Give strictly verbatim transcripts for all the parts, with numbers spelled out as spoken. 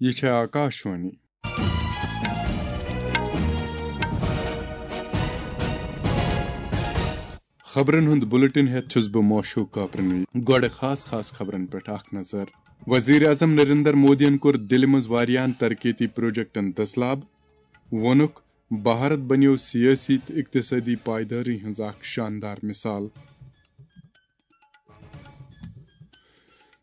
یہِ چھےٚ آکاشوانی۔ خبرن ہُنٛد بُلٹن ہٮ۪تھ چھُس بہٕ موشوق کاپرنی۔ گۄڈٕ خاص خاص خبرن پٮ۪ٹھ اکھ نظر۔ وزیر اعظم نریندر مودیَن کوٚر دِلہِ منٛز واریاہن ترقیتی پروجیکٹن دٔسلاب۔ ووٚنُکھ، بھارت بنیو سیٲسی تہٕ اقتصٲدی پائیدٲری ہٕنٛز اکھ شاندار مثال۔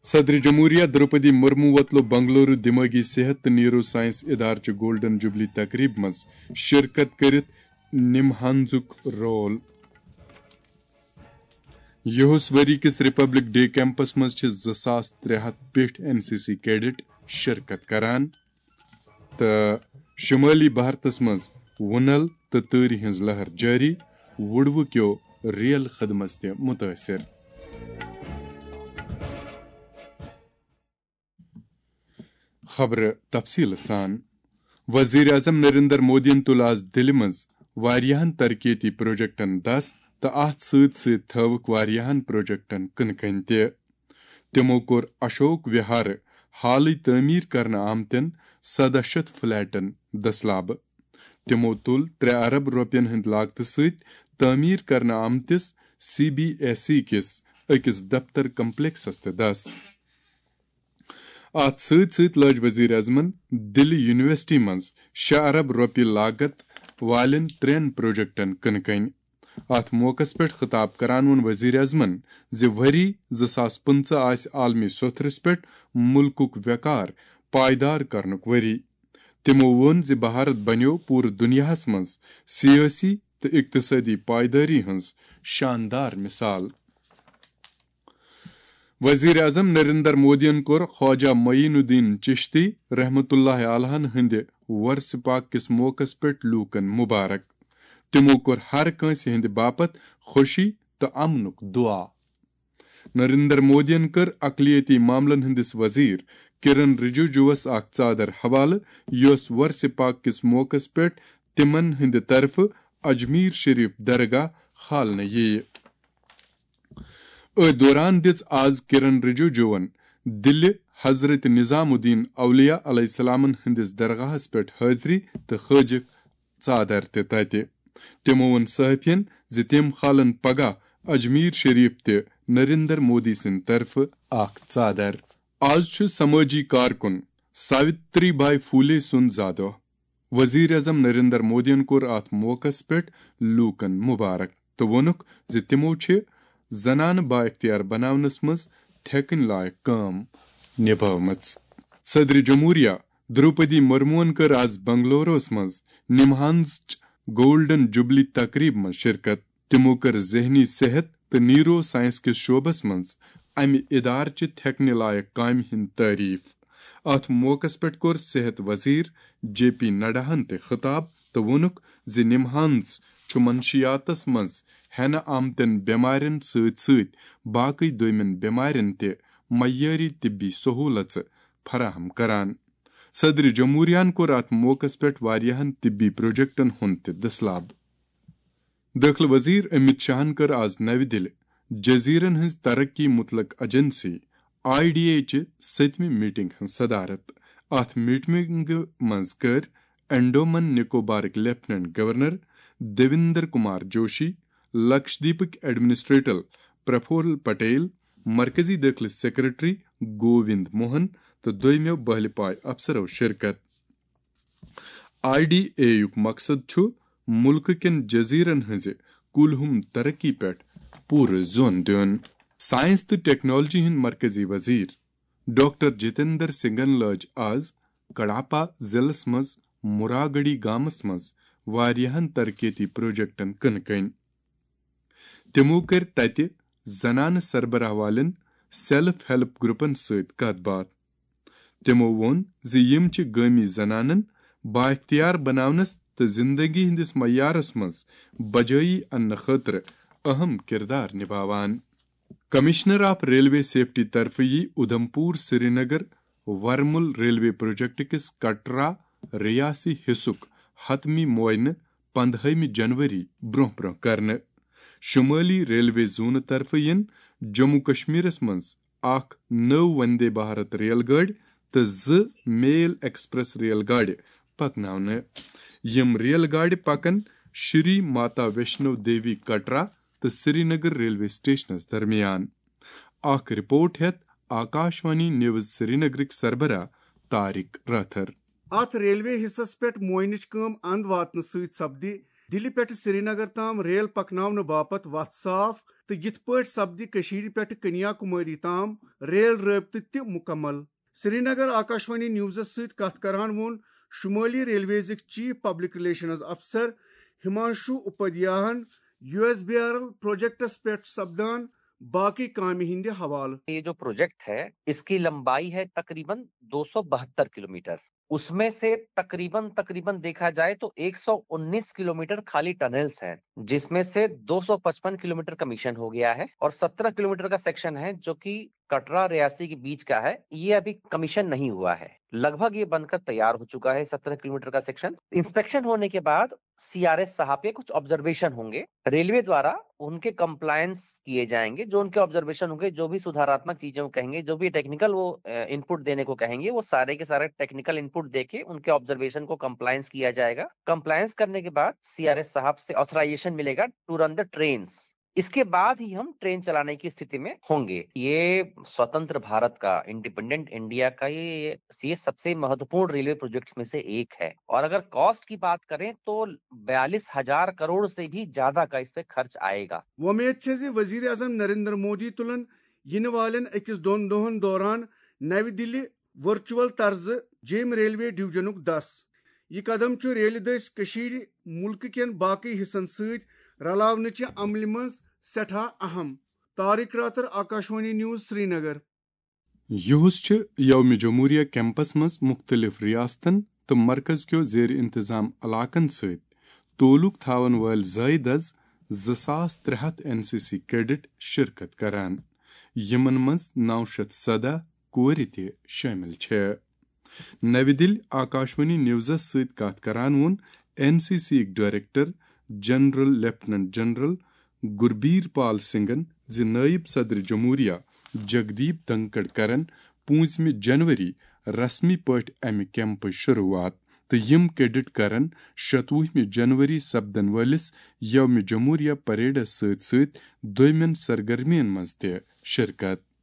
صدر جمہوریہ درٛوپدی مرمو وۄتلو بنگلورو دماغی صحت تہٕ نیورو سائنس ادارٕ چہِ گولڈن جوبلی تقریب منٛز شرکت کٔرِتھ نمہانزُک رول۔ یِہُس ؤری کِس ریپبلک ڈے کیمپس منٛز چھِ زٕ ساس ترٛےٚ ہتھ پیٹھۍ این سی سی کیڈٹ شرکت کران۔ تہٕ شمٲلی بھارتس منٛز وُنل تہٕ تۭرِ ہٕنٛز لہر جٲری، وُڈوٕ کیو ریل خدمس تہِ مُتٲثِر۔ خبرٕ تفصیٖل سان۔ وزیر اعظم نریندر مودیَن تُل آز دِلہِ منٛز واریاہن ترقیتی پروجیکٹن دَس تہٕ اتھ سۭتۍ سۭتۍ تھٲوٕکھ واریاہن پروجیکٹن کٕنہٕ کنہِ تہِ۔ تِمو کوٚر اشوک وِہارٕ حالٕے تعمیٖر کرنہٕ آمتٮ۪ن سَداہ شیٚتھ فلیٹن دٔسلابہٕ۔ تِمو تُل ترٛےٚ ارب رۄپین ہٕنٛدِ لاگتہٕ سۭتۍ تعمیٖر کرنہٕ آمتِس سی بی ایس ای کِس أکِس دفتر کمپلیکسس تہِ دَس۔ اتھ سۭتۍ سۭتۍ لٲج وزیر اعظمن دِلہِ یونیورسٹی منٛز شےٚ ارب رۄپیہِ لاگت والٮ۪ن ترٛٮ۪ن پروجیکٹن کٕنہٕ کنہِ۔ اتھ موقعس پٮ۪ٹھ خطاب کران ووٚن وزیر اعظمن زِ ؤری زٕ ساس پٕنٛژٕہ آسہِ عالمی سوٚتھرس پٮ۪ٹھ مُلکُک وقار پائیدار کرنُک ؤری۔ تِمو ووٚن زِ بھارت بنیو پوٗرٕ دُنیاہس منٛز سیٲسی تہٕ اقتصٲدی پائیدٲری ہٕنٛز شاندار مثال۔ وزیر اعظم نریندر مودیَن کوٚر خواجہ معین الدین چشتی رحمتہ اللہ علیہن ہٕنٛدِ ورثہ پاک کِس موقعس پٮ۪ٹھ لوٗکن مبارک۔ تِمو کوٚر ہر کٲنٛسہِ ہٕنٛدِ باپتھ خوشی تہٕ امنُک دعا۔ نریندر مودیَن کٔر اقلیتی معاملن ہٕنٛدِس وزیر کرن رجوجوَس اکھ ژادر حوالہٕ، یۄس ورثہ پاک کِس موقعس پٮ۪ٹھ تِمن ہٕنٛدِ طرفہٕ اجمیر شریف درگاہ کھالنہٕ یِیہِ۔ أتھۍ دوران دِژ آز کرن رجوجوَن دِلہِ حضرت نظام الدین اولیاء علیہ السلامن ہٕنٛدِس درگاہس پٮ۪ٹھ حٲضری تہٕ کھٲجِکھ ژادر تہِ تتہِ۔ تِمو ووٚن صحافین زِ تِم کھالن پگاہ اجمیر شریف تہِ نریندر مودی سٕنٛدِ طرفہٕ اکھ ژادر۔ آز چھُ سمٲجی کارکُن ساوتری بائی پھولے سُنٛد زا دۄہ۔ وزیر اعظم نریندر مودیَن کوٚر اتھ موقعس پٮ۪ٹھ لوٗکن مبارک تہٕ ووٚنُکھ زِ تِمو چھِ زنانہٕ بااختیار بناونس منٛز تھٮ۪کٕنۍ لایق کٲم نبھٲومٕژ۔ صدر جمہوریہ درٛوپدی مرموَن کٔر آز بنگلوروَس منٛز نمہانزٕچ گولڈن جوبلی تقریب منٛز شرکت۔ تِمو کٔر ذہنی صحت تہٕ نیورو سائنس کِس شعبس منٛز امہِ ادارٕ چہِ تھٮ۪کٕنۍ لایق کامہِ ہٕنٛز تعریف۔ اتھ موقعس پٮ۪ٹھ کوٚر صحت وزیر جے پی نڈاہن تہِ خطاب تہٕ ووٚنُکھ زِ نمہانز چھُ منشیاتس منٛز ہٮ۪نہٕ آمتٮ۪ن بٮ۪مارٮ۪ن سۭتۍ سۭتۍ باقٕے دوٚیمٮ۪ن بٮ۪مارٮ۪ن تہِ معیٲری طبی سہوٗلژٕ فراہم کران۔ صدر جمہوریہن کوٚر اتھ موقعس پٮ۪ٹھ واریاہن طبی پروجیکٹن ہُنٛد تہِ دٔسلاب۔ دٲخلہٕ وزیر امت شاہن کٔر آز نَوِ دِلہِ جزیرن ہٕنٛز ترقی متعلق ایجنسی، آئی ڈی اے، چہِ سٔتمہِ میٹنگ ہٕنٛز صدارت۔ اتھ میٹنگہِ منٛز کٔر انڈومن نکوبارٕکۍ لیفٹیننٹ گورنر دیویندر کمار جوشی، لکشدیپٕکۍ ایڈمنسٹریٹر پرفول پٹیل، مرکزی دٲخلہٕ سیکرٹری گووند موہن تہٕ دویمٮ۪و بہلہِ پایہِ افسرو شرکت۔ آئی ڈی اے یُک مقصد چھُ مُلکہٕ کٮ۪ن جزیرن ہٕنٛزِ کُلۍ ہُم ترقی پٮ۪ٹھ پوٗرٕ زون دیُن۔ سائنس تہٕ ٹیکنالوجی ہٕنٛدۍ مرکزی وزیر ڈاکٹر جتیندر سنگھن لٲج آز کڈاپا ضلعس منٛز مراگڑی گامس منٛز واریاہن ترقیتی پروجیکٹن کٕنہٕ کنۍ۔ تِمو کٔرۍ تتہِ زنانہٕ سربراہ والٮ۪ن سیلف ہیلپ گروپن سۭتۍ کتھ باتھ۔ تِمو ووٚن زِ یِم چھِ گٲمی زنانن بااختیار بناونس تہٕ زندگی ہٕنٛدِس معیارس منٛز بجٲیی اننہٕ خٲطرٕ اہم کردار نبھاوان۔ کمشنر آف ریلوے سیفٹی طرفہٕ یی اودھمپور سرینگر ورمل ریلوے پروجیکٹ کِس کٹرا ریاسی حصُک حتمی معائنہٕ پندہٲیمہِ جنوری برونٛہہ برونٛہہ کرنہٕ۔ شمٲلی ریلوے زونہٕ طرفہٕ یِن جموں کشمیرس منٛز اکھ نٔو وندے بھارت ریل گٲڑۍ تہٕ زٕ میل ایکسپریس ریل گاڑِ پکناونہٕ۔ یِم ریل گاڑِ پکن شری ماتا ویشنو دیوی کٹرا تہٕ سرینگر ریلوے سٹیشنس درمیان۔ اکھ رپورٹ ہیتھ آکاشوانی نیوز سرینگرٕکۍ سربراہ طارق رٲتھر۔ اتھ ریلوے حصس پٮ۪ٹھ معائنٕچ کٲم اند واتنہٕ سۭتۍ سپدِ دِلہِ پٮ۪ٹھ سرینگر تام ریل پکناونہٕ باپتھ وتھ صاف، تہٕ یِتھ پٲٹھۍ سپدِ کٔشیٖرِ پٮ۪ٹھ کنیا کُماری تام ریل رٲبطہٕ تہِ مُکمل۔ سرینگر آکاشوانی نیوزس سۭتۍ کتھ کران ووٚن شمٲلی ریلویزٕکۍ چیف پبلک ریلیشنز افسر ہمانشو اپادھیاہن U S B R L projects پٮ۪ٹھ سپدان باقی کامہِ ہٕنٛدِ حوالہٕ۔ یہ جو پروجیکٹ ہے، اس کی لمبائی ہے تقریباً دو سو بہتر کلومیٹر۔ اس میں سے تقریباً، تقریباً دیکھا جائے تو ایک سو انیس کلومیٹر خالی ٹنلز ہیں، جس میں سے دو سو پچپن کلومیٹر کمیشن ہو گیا ہے اور سترہ کلومیٹر کا سیکشن ہے جو کہ کٹرا ریاسی کے بیچ کا ہے، یہ ابھی کمیشن نہیں ہوا ہے۔ لگ بھگ یہ بن کر تیار ہو چکا ہے سترہ کلومیٹر کا سیکشن۔ انسپیکشن ہونے کے بعد سی آر ایس صاحب کے کچھ آبزرویشن ہوں گے، ریلوے دوارا ان کے کمپلائنس کیے جائیں گے، جو ان کے آبزرویشن ہوں گے، جو بھی سدھاراتمک چیزیں وہ کہیں گے، جو بھی ٹیکنیکل وہ ان پٹ دینے کو کہیں گے، وہ سارے کے سارے ٹیکنیکل ان پٹ دے کے ان کے آبزرویشن کو کمپلائنس کیا جائے گا۔ کمپلائنس کرنے کے بعد سی آر ایس صاحب سے آتھرائزیشن ملے گا ٹو رن دا ٹرینس۔ اس کے بعد ہی ہم ٹرین چلانے کی استھتی میں ہوں گے۔ یہ स्वतंत्र भारत का, इंडिपेंडेंट इंडिया का ये, ये सबसे महत्वपूर्ण रेलवे प्रोजेक्ट्स में से एक है। और अगर कॉस्ट की बात करें तो बयालीस हजार करोड़ से भी ज्यादा का इस पे खर्च आएगा। وۄمید چھےٚ زِ وزیر اعظم نریندر مودی تُلن یِنہٕ والٮ۪ن أکِس دۄن دۄہن دوران نَوِ دِلہِ ورچوئل طرزٕ جیٚمۍ ریلوے ڈویژنُک دَس۔ یہِ قدم چھُ ریلہِ دٔسۍ کٔشیٖرِ مُلکہٕ کٮ۪ن باقٕے حصن سۭتۍ رلاونٕچہِ عملہِ منٛز سٮ۪ٹھاہ اہم۔ طارق راتر، آکاشوانی نیوز، سرینگر۔ یُہُس چھُ یوم جمہوریہ کیمپس منٛز مُختٔلِف ریاستن تہٕ مرکز کیو زیر انتظام علاقن سۭتۍ تعلق تھاون وٲلۍ زٲیدٕ از زٕ ساس ترٛےٚ ہتھ این سی سی کیڈٹ شرکت کران، یِمن منٛز نو شیٚتھ سداہ کورِ تہِ شٲمِل چھےٚ۔ نَوِ دِلہِ آکاشوانی نیوزس سۭتۍ کتھ کران ووٚن این سی سی یٕکۍ ڈائریکٹر جنرل لیفٹیننٹ جنرل گربیر پال سنگھن زِ نائب صدر جمہوریہ جگدیپ دھنکڑ کرن پوٗنٛژمہِ جنوری رسمی پٲٹھۍ امہِ کیمپٕچ شروٗعات، تہٕ یِم کیڈٹ کرن شتوُہمہِ جنوری سپدن وٲلِس یوم جمہوریہ پریڈس سۭتۍ سۭتۍ دوٚیمٮ۪ن سرگرمین منٛز تہِ شرکت۔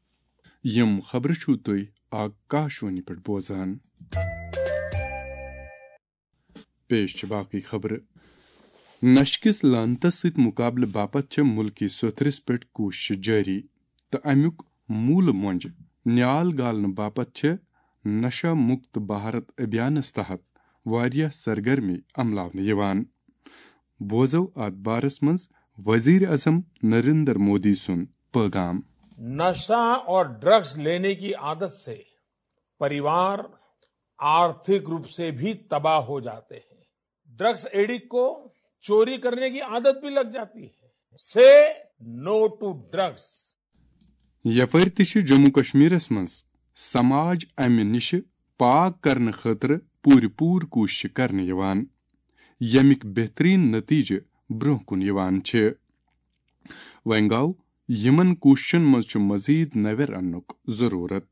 یِم خبرٕ چھِو تُہۍ آکاشوانی پٮ۪ٹھ بوزان۔ پیش چھِ باقٕے خبرٕ۔ نشہٕ کِس لعنتس سۭتۍ مقابلہٕ باپتھ چھےٚ مُلکی سوٚتھرِس پٮ۪ٹھ کوٗششہٕ جٲری تہٕ امیُک موٗلہٕ مۄنٛجہِ نیال گالنہٕ باپتھ چھےٚ نشہ مکت بھارت ابھیانس تحت واریاہ سرگرمی عملاونہٕ یِوان۔ بوزو اتھ بارس منٛز وزیر اعظم نریندر مودی سُنٛد پیغام۔ नशा और ड्रग्स लेने की आदत से परिवार आर्थिक रूप से भी तबाह हो जाते हैं। ड्रग्स एडिक्ट को चोरी करने की आदत भी लग जाती है। से नो टू ड्रग्स। یپٲرۍ تہِ چھِ جموں کشمیرس منٛز سماج امہِ نِشہِ پاک کرنہٕ خٲطرٕ پوٗرٕ پوٗرٕ کوٗششہٕ کرنہٕ یِوان، ییٚمِکۍ بہتریٖن نتیجہٕ برٛونٛہہ کُن یِوان چھِ۔ وۄنۍ گوٚو یِمن کوٗششن منٛز چھُ مزید نویر اننُک ضروٗرت۔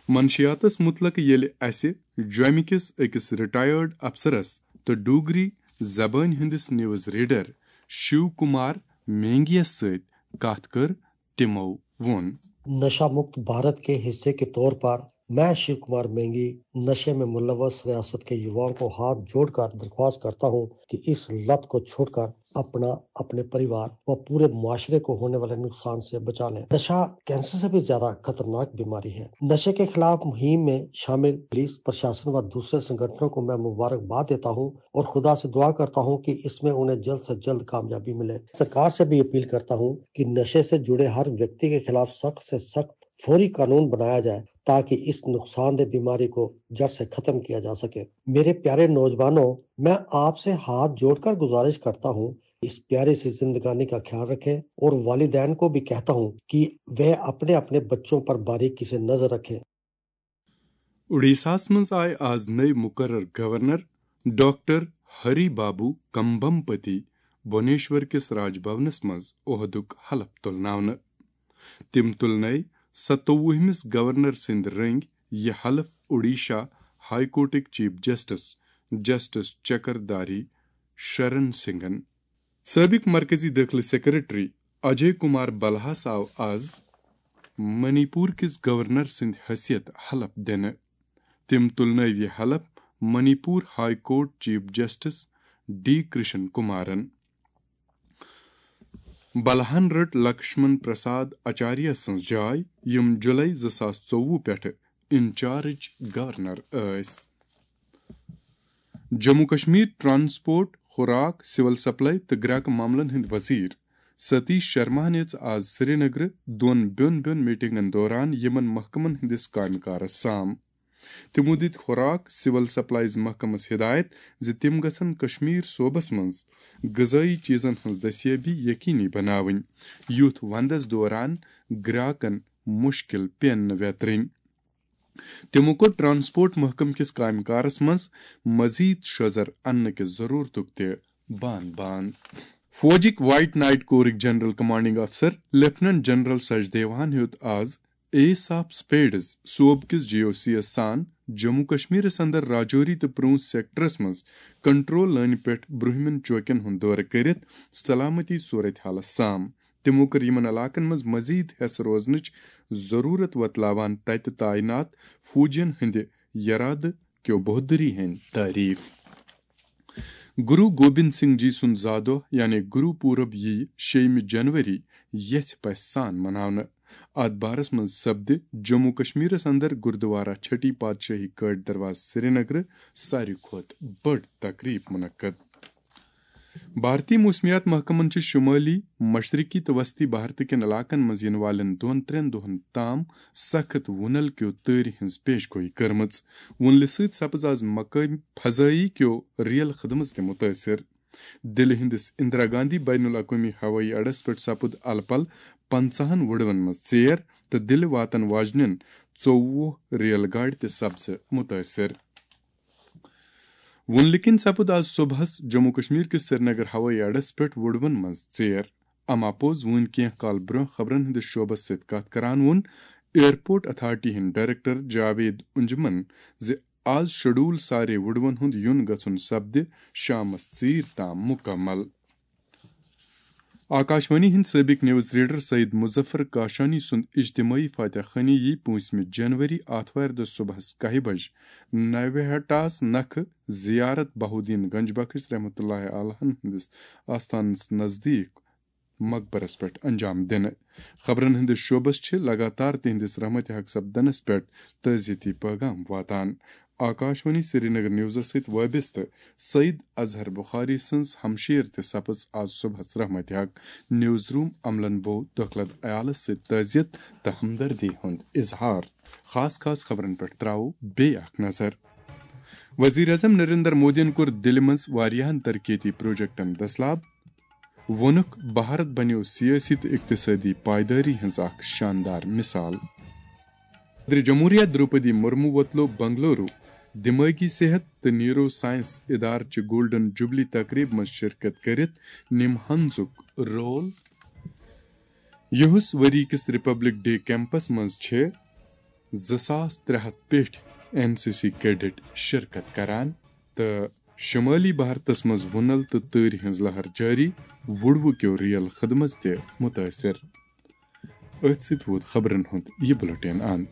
منشیاتس مُتلق ییٚلہِ اسہِ جوٚمہِ کِس أکِس ریٹائرڈ افسرس تہٕ ڈوگری زبٲنۍ ہٕنٛدِس نیوز ریڈر شیو کمار مینگیس سۭتۍ کتھ کٔر، تِمو ووٚن۔ नशा मुक्त भारत के हिस्से के तौर पर मैं शिव कुमार मेंगी नशे में मुलव्वस रियासत के युवाओं को हाथ जोड़कर दरख्वास्त करता हूं कि इस लत को छोड़कर अपना, अपने परिवार व पूरे मुआशरे को होने वाले नुकसान से बचा लें। नशा कैंसर से भी ज्यादा खतरनाक बीमारी है। नशे के खिलाफ मुहिम में शामिल पुलिस प्रशासन व दूसरे संगठनों को मैं मुबारकबाद देता हूं और खुदा से दुआ करता हूं कि इसमें उन्हें जल्द से जल्द कामयाबी मिले। सरकार से भी अपील करता हूं कि नशे से जुड़े हर व्यक्ति के खिलाफ सख्त से सख्त फौरी कानून बनाया जाए ताकि इस नुकसानदेह बीमारी को जड़ से खत्म किया जा सके। मेरे प्यारे नौजवानों, मैं आपसे हाथ जोड़कर गुजारिश करता हूं, इस प्यारी सी जिंदगानी का ख्याल रखें और वालिदैन को भी कहता हूं कि वे अपने अपने बच्चों पर बारीकी से नजर रखें। اُڈیٖساہس منٛز آیہِ آز نٔوۍ مُقرر گورنر ڈاکٹر ہری بابو کمبمپتی بھونیشور کِس راج بھونس منٛز عہدُک حلف تُلناونہٕ۔ تِم تُلنٲوۍ ستووُہمِس گورنر سٕنٛدۍ رٔنٛگۍ یہِ حلف اوڈیشہ ہائی کورٹٕکۍ chief justice, justice Chakradhari شرن سنگھن۔ سٲبق مرکزی دٲخلہٕ سیکرٹری اجے کمار بلہَس آو آز منی پور کِس گورنر سٕنٛدِ حیثیت حلف دِنہٕ۔ تٔمۍ تُلنٲوۍ یہِ حلف Manipur high court chief justice D Krishna کمارن۔ بلہَن رٔٹ لکشمن پرساد آچاریہ سٕنٛز جاے، یِم جولائی زٕ ساس ژوٚوُہ پٮ۪ٹھٕ انچارج گورنر ٲسۍ۔ جموں کشمیر ٹرانسپورٹ، خوراک، سول سپلائی تہٕ گراکہٕ معاملن ہٕنٛدۍ وزیر ستیش شرماہن ہیٚژ آز سرینگرٕ دۄن بیوٚن بیوٚن میٹنگن دوران یِمن محکمن ہٕنٛدِس کامہِ کارس سام۔ تِمو دِتۍ خوراک سول سپلائیز محکمس ہدایت زِ تِم گژھن کشمیر صوبس منٛز غذٲیی چیزن ہٕنٛز دستیٲبی یقینی بناوٕنۍ، یُتھ وندس دوران گراکن مشکل پیٚن نہٕ ویترٕنۍ۔ تِمو کوٚر ٹرانسپورٹ محکمہٕ کِس کامہِ کارس منٛز مزید شۄزر اننہٕ کِس ضرورتُک تہِ بان بان۔ فوجٕکۍ وائٹ نائٹ کورٕکۍ جنرل کمانڈنگ افسر لیفٹیننٹ جنرل سچدیوہن ہیوٚت آز ایس آف سپیڈز صوبہٕ کِس جی او سی یس سان جموں کشمیرس اندر راجوری تہٕ پرونچ سیکٹرس منٛز کنٹرول لٲنہِ پٮ۪ٹھ برٛونٛہمٮ۪ن چوکن ہُنٛد دورٕ کٔرِتھ سلامتی صورت حالس سام۔ تِمو کٔر یِمن علاقن منٛز مزید حیس روزنٕچ ضروٗرت وۄتلاوان تتہِ تعینات فوجین ہٕنٛدِ یرادٕ کیو بہادری ہٕنٛدۍ تعریف۔ گرو گوبند سنگھ جی سُنٛد زا دۄہ یعنی گرو پورب یِیہِ شیٚیِمہِ جنوری یژھِ پژھِ سان مناونہٕ۔ اتھ بارس منٛز سپدِ جموں کشمیرس اندر گردوارہ چھٹی پادشاہی کٲٹھۍ دروازٕ سرینگرٕ ساروی کھۄتہٕ بٔڑ تقریب منعقد۔ بھارتی موسمیات محکمن چھِ شمٲلی، مشرقی تہٕ وسطی بھارت کٮ۪ن علاقن منٛز یِنہٕ والٮ۪ن دۄن ترٛٮ۪ن دۄہن تام سخت وُنل کیو تۭرِ ہٕنٛز پیش گویی کٔرمٕژ۔ وُنلہِ سۭتۍ سپٕز آز مقٲمی فضٲیی کیو ریل خدمژ تہِ مُتٲثر۔ دِلہِ ہٕنٛدِس اندرا گاندھی بین الاقوٲمی ہوٲیی اڈس پٮ۪ٹھ سپُد الہٕ پلہٕ پنژاہن وُڈوَن منٛز ژیر تہٕ دِلہِ واتن واجنٮ۪ن ژوٚوُہ ریل گاڑِ تہِ سپزٕ مُتٲثر۔ وُنلہِ کِنۍ سپُد آز صبحس جموں کشمیر کِس سرینگر ہوٲیی اڈس پٮ۪ٹھ وُڈوَن منٛز ژیر۔ اما پوٚز وُنۍ کینٛہہ کال برٛونٛہہ خبرن ہٕنٛدِس شعبس سۭتۍ کتھ کران ووٚن ایئرپورٹ اتھارٹی ہٕنٛدۍ ڈائریکٹر جاوید انجمن زِ آز شیڈول سارے وُڈوَن ہُنٛد یُن گژھُن سپدِ شامس ژیٖرۍ تام مُکمل۔ آکاشوانی ہٕنٛدۍ سٲبق نیوز ریڈر سعید مظفر کاشانی سُنٛد اجتماعی فاتح خانی یی پوٗنٛژمہِ جنوری آتھوارِ دۄہ صبحس کاہہِ بجہِ نویہٹاہس نکھٕ زیارت بہاؤالدین گنج بخش رحمتہ اللہ علیہ ہٕنٛدِس آستانس نزدیٖک مقبرس پٮ۪ٹھ انجام دِنہٕ۔ خبرن ہٕنٛدِس شعبس چھِ لگاتار تِہنٛدِس رحمتِ حق سپدنس پٮ۪ٹھ تعزیتی پیغام واتان۔ آکاشوانی سرینگر نیوزس سۭتۍ وابستہٕ سعید اظہر بخاری سٕنٛز ہمشیر تہِ سپٕز آز صبحس رحمتِ حق۔ نیوز روم عملن بوو دۄکھلد عیالس سۭتۍ تعزیت تہٕ ہمدردی ہُنٛد اظہار۔ خاص خاص خبرن پٮ۪ٹھ تراوو بیٚیہِ اکھ نظر۔ وزیر اعظم نریندر مودیَن کوٚر دِلہِ منٛز واریاہَن ترقیتی پروجیکٹَن دٔسلاب۔ ووٚنُکھ، بھارت بنیو سیٲسی تہٕ اقتصٲدی پائیدٲری ہٕنٛز اکھ شاندار مثال۔ صدر جمہوریہ دروپدی مرمو ووتلو بنگلورو دمٲغی صحت تہٕ نیورو سائنس ادارٕ چہِ گولڈن جوبلی تقریب منٛز شرکت کٔرِتھ نِمہٕ ہنزُک رول۔ یُہُس ؤری کِس ریپبلک ڈے کیمپس منٛز چھِ زٕ ساس ترٛےٚ ہتھ پیٹھۍ این سی سی کیڈٹ شرکت کران تہٕ شمٲلی بھارتس منٛز وُنل تہٕ تۭرِ ہٕنٛز لہر جٲری، وُڈوٕ کیو ریل خدمژ تہِ مُتٲثر۔ أتھۍ سۭتۍ ووت خبرن ہُنٛد یہِ بلیٹن اند۔